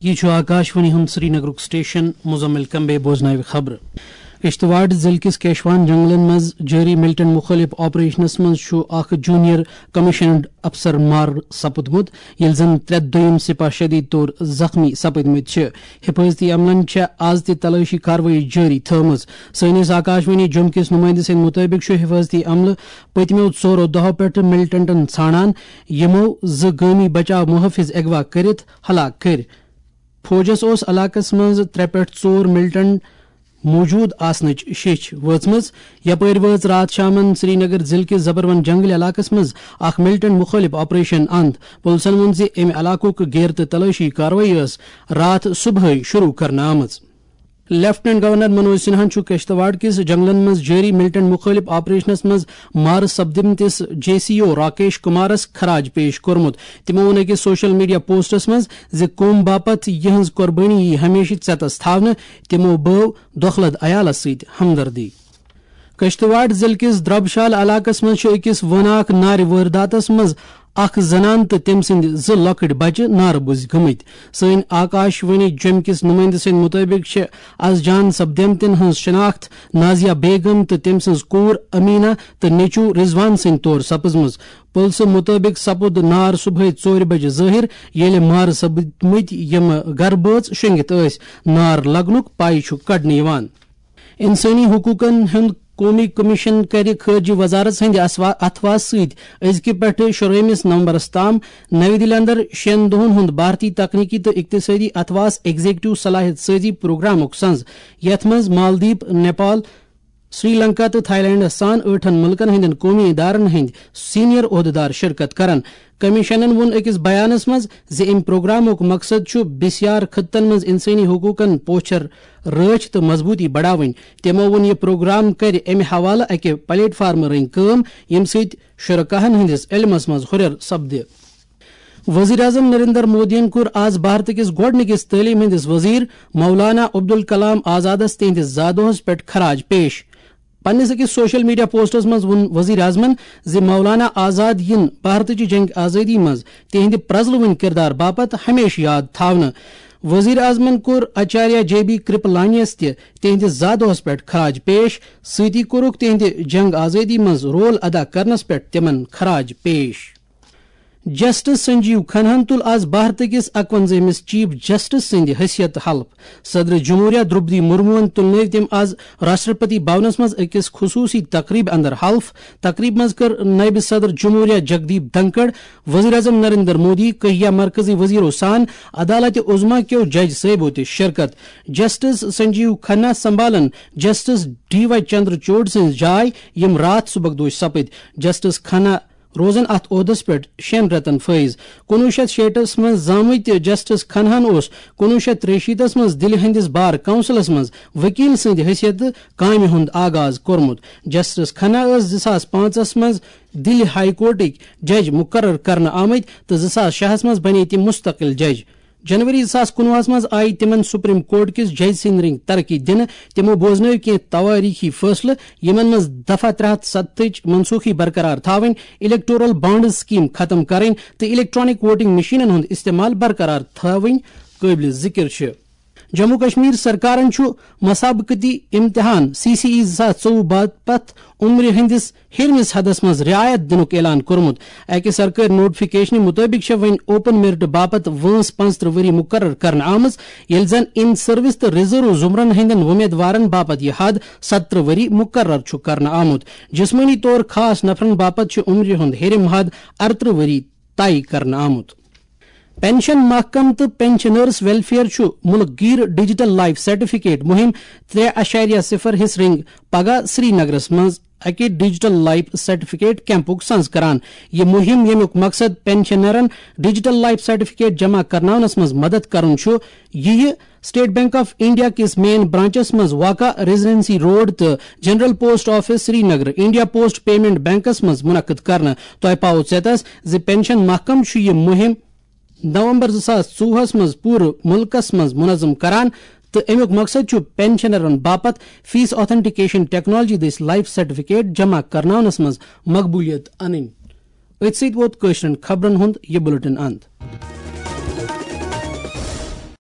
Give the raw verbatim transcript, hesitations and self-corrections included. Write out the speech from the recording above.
یہِ چھُ آکاشوانی ہُنٛد سرینگرُک سٹیشن۔ مزمل کمبے بوزناوِ خبرٕ۔ کشتواڑ ضلعہٕ کِس کیشوان جنگلن منٛز جٲری ملٹنٹ مُخٲلِف آپریشنس منٛز چھُ اکھ جونیئر کمیشنڈ افسر مارٕ سپُدمُت، ییٚلہِ زن ترٛےٚ دوٚیِم سپاہ شدید طور زخمی سپٕدمٕتۍ چھِ۔ حفاظتی عملن چھےٚ از تہِ تلٲشی کاروٲیی جٲری تھٲومٕژ۔ سٲنِس آکاشوانی جوٚم کِس نُمٲیندٕ سٕنٛدِ مُطٲبِق چھُ حفاظتی عملہٕ پٔتمیو ژورو دۄہو پٮ۪ٹھٕ ملٹنٹن ژھانڈان، یِمو زٕ گٲمی بچاو محٲفظ اغوا کٔرِتھ ہلاک کٔرۍ۔ فوجس اوس علاقس منٛز ترٛےٚ پٮ۪ٹھ ژور ملٹنٹ موجود آسنٕچ شیٚچھ وٲژمٕژ۔ یپٲرۍ وٲژ راتھ شامن سرینگر ضلعہٕ کِس زبروَن جنگل علاقس منٛز اکھ ملٹنٹ مُخٲلِف آپریشن اند۔ پُلسن ووٚن زِ امہِ علاقُک گیرٕ تہٕ تلٲشی کاروٲیی ٲس راتھ صبحٲے شروع کرنہٕ آمٕژ۔ لیفٹیننٹ گورنر منوج سنہاہن چھُ کشتواڑ کِس جنگلن منٛز جٲری ملٹنٹ مُخٲلِف آپریشنس منٛز مارٕ سپدمتِس جے سی او راکیش کمارس خراج پیش کوٚرمُت۔ تِمو ووٚن أکِس سوشل میڈیا پوسٹس منٛز زِ قوم باپتھ یِہنٛز قۄربٲنی یی ہمیشہٕ ژٮ۪تس تھاونہٕ۔ تِمو بٲو دۄکھلد عیالس سۭتۍ ہمدردی۔ کشتواڑ ضلعہٕ کِس دربشال علاقس منٛز چھُ أکِس وٲناکھ نارِ وٲرداتس منٛز اکھ زنان تہٕ تٔمۍ سٕنٛدۍ زٕ لۄکٕٹۍ بچہٕ نارٕ بُزۍ گٔمٕتۍ۔ سٲنۍ آکاشوانی جوٚم کِس نُمٲیندٕ سٕنٛدِ مُطٲبِق چھِ از جان سپدیمتٮ۪ن ہٕنٛز شناخت نازیہ بیگم تہٕ تٔمۍ سٕنٛز کوٗر امینا تہٕ نیٚچوٗ رضوان سٕنٛدِ طور سپٕزمٕژ۔ پُلسہٕ مُطٲبِق سپُد نار صبحٲے ژورِ بجہِ ظٲہِر، ییٚلہِ مارٕ سپٕدمٕتۍ یِم گرٕ بٲژ شۄنٛگِتھ ٲسۍ۔ نار لگنُک پَے چھُ کڑنہٕ یِوان۔ انسٲنی حقوقن ہُنٛد قومی کمیشن کَرِ خارجہ وزارت سٕنٛدِ اسوا-، اتھواس سۭتۍ أزکہِ پٮ۪ٹھٕ شُرٲہمِس نومبرس تام نَوِ دِلہِ اندر شٮ۪ن دۄہن ہُنٛد بھارتی تکنیکی تہٕ اقتصٲدی اتھواس ایگزیکٹو صلاحیت سٲزی پروگرامُک سنز، یتھ منٛز مالدیپ، نیپال، سری لنکا تہٕ تھائی لینڈس سان ٲٹھن مُلکن ہٕنٛدٮ۪ن قومی ادارن ہٕنٛدۍ سینئر عہدٕدار شرکت کرن۔ کمیشنن ووٚن أکِس بیانس منٛز زِ امہِ پروگرامُک مقصد چھُ بسیار خطن منٛز انسٲنی حقوقن پوچھر رٲچھ تہٕ مضبوٗطی بڑاوٕنۍ۔ تِمو ووٚن یہِ پروگرام کرِ امہِ حوالہٕ اکہِ پلیٹ فارمہٕ رٔنگۍ کٲم، ییٚمہِ سۭتۍ شرکاہن ہٕنٛدِس علمس منٛز ہُرٮ۪ر سپدِ۔ وزیر اعظم نریندر مودیَن کوٚر آز بھارت کِس گۄڈٕنِکِس تعلیٖم ہٕنٛدِس وزیر مولانا عبدالکلام آزادَس تِہنٛدِس زادوہَس پٮ۪ٹھ خراج پیش۔ پننِس أکِس سوشل میڈیا پوسٹَس منٛز ووٚن وزیر اعظمَن زِ مولانا آزاد یِن بھارتٕچہِ جنگ آزٲدی منٛز تِہنٛدِ پرٛزلوٕنۍ کِردار باپتھ ہمیشہٕ یاد تھاونہٕ۔ وزیر اعظمَن کوٚر آچاریہ جے بی کرپلانیَس تہِ تِہنٛدِس زادوہَس پٮ۪ٹھ خراج پیش، سۭتی کوٚرُکھ تِہنٛدِ جنگ آزٲدی منٛز رول ادا کرنَس پٮ۪ٹھ تِمَن خراج پیش۔ جسٹس سنجیو کھناہن تُل آز بھارت کِس اکونزٲہمِس چیف جسٹس سٕنٛدِ حیثیت حلف۔ صدر جمہوریہ درٛوپدی مرموہن تُلنٲوۍ تٔمۍ آز راشٹرپتی بھونس منٛز أکِس خصوٗصی تقریبہِ اندر حلف۔ تقریبہِ منٛز کٔر نٲیِب صدر جمہوریہ جگدیپ دھنکڑ، وزیر اعظم نریندر مودی، کہیا مرکزی وزیرو سان عدالت عظمیٰ کیو جج صٲبو تہِ شرکت۔ جسٹس سنجیو کھنہ سنبھالن جسٹس ڈی وائی چندرچوڑ سٕنٛز جاے، یِم راتھ صبحک دوش سپٕدۍ۔ جسٹس کھنہ روزن اتھ عہدس پٮ۪ٹھ شٮ۪ن رٮ۪تن فٲیض۔ کُنوُہ شیٚتھ شیٹھس منٛز زامٕتۍ جسٹس کھنہن اوس کُنوُہ شیٚتھ ترٛیہِ شیٖتس منٛز دِلہِ ہٕنٛدِس بار کونسلس منٛز وکیل سٕنٛدِ حیثیت کامہِ ہُنٛد آغاز کوٚرمُت۔ جسٹس کھنہ ٲس زٕ ساس پانٛژس منٛز دِلہِ ہائی کورٹٕکۍ جج مقرر کرنہٕ آمٕتۍ تہٕ زٕ ساس شےٚ ہس منٛز بنے تِم مستقل جج۔ جنوری زٕ ساس کُنوُہس منٛز آیہِ تِمن سپریم کورٹ کِس جج سٕنٛدۍ رٔنگۍ ترقی دِنہٕ۔ تِمو بوزنٲوۍ کینٛہہ توٲریٖخی فٲصلہٕ، یِمن منٛز دفعہ ترٛےٚ ہتھ ستتٕچ منسوخی برقرار تھاوٕنۍ، الیکٹورل بانڈز سکیم ختم کرٕنۍ تہٕ الیکٹرانک ووٹنگ مشینن ہُنٛد استعمال برقرار تھاوٕنۍ قٲبلِ ذکر چھِ۔ جموں کشمیر سرکارن چھُ مسابقتی امتحان سی سی ای زٕ ساس ژوٚوُہ باپتھ عمرِ ہٕنٛدِس ہیٚرمِس حدس منٛز رعایت دِنُک اعلان کوٚرمُت۔ اَکہِ سرکٲرۍ نوٹیفکیشنہِ مُطٲبِق چھےٚ وۄنۍ اوپن میرٹ باپتھ وٲنٛس پانٛژترٕہ ؤری مُقرر کرنہٕ آمٕژ، ییٚلہِ زن ان سروس تہٕ ریزرو زمرن ہٕنٛدٮ۪ن وۄمیدوارن باپتھ یہِ حد ستترٕہ ؤری مُقرر چھُ کرنہٕ آمُت۔ جسمٲنی طور خاص نفرن باپتھ چھُ عمرِ ہُنٛد ہیٚرِم حد ارترٕہ ؤری طے کرنہٕ آمُت۔ پنشن محکمہٕ تہٕ پنشنرز ویلفیئر چھُ مُلک گیر ڈیجیٹل لائف سرٹیفکیٹ مُہِم ترٛےٚ اعشاریہ صفر ہِس رٔنگۍ پگاہ سری نگرس منٛز اکہِ ڈیجیٹل لائف سرٹیفکیٹ کیمپُک سنز کران۔ یہِ مُہِم، ییٚمیُک مقصد پنشنرن ڈیجیٹل لائف سرٹیفکیٹ جمع کرناونس منٛز مدد کرُن چھُ، یِیہِ اسٹیٹ بینک آف انڈیا کِس مین برانچس منٛز واقع ریزیڈنسی روڈ تہٕ general post office Srinagar, India post payment بینکس منٛز منعقد کرنہٕ۔ تۄہہِ پاوو ژیتس زِ پنشن محکمہٕ چھُ یہِ مُہِم نومبر زٕ ساس ژوٚوُہس منٛز پوٗرٕ مُلکس منٛز منظم کران تہٕ امیُک مقصد چھُ پنشنرن باپتھ فیس آتھنٹیکیشن ٹیکنالوجی دٔسۍ لائف سرٹیفکیٹ جمع کرناونس منٛز مقبولیت انٕنۍ۔ أتھۍ سۭتۍ ووت کٲشرٮ۪ن خبرن ہُنٛد یہِ بلیٹن اند۔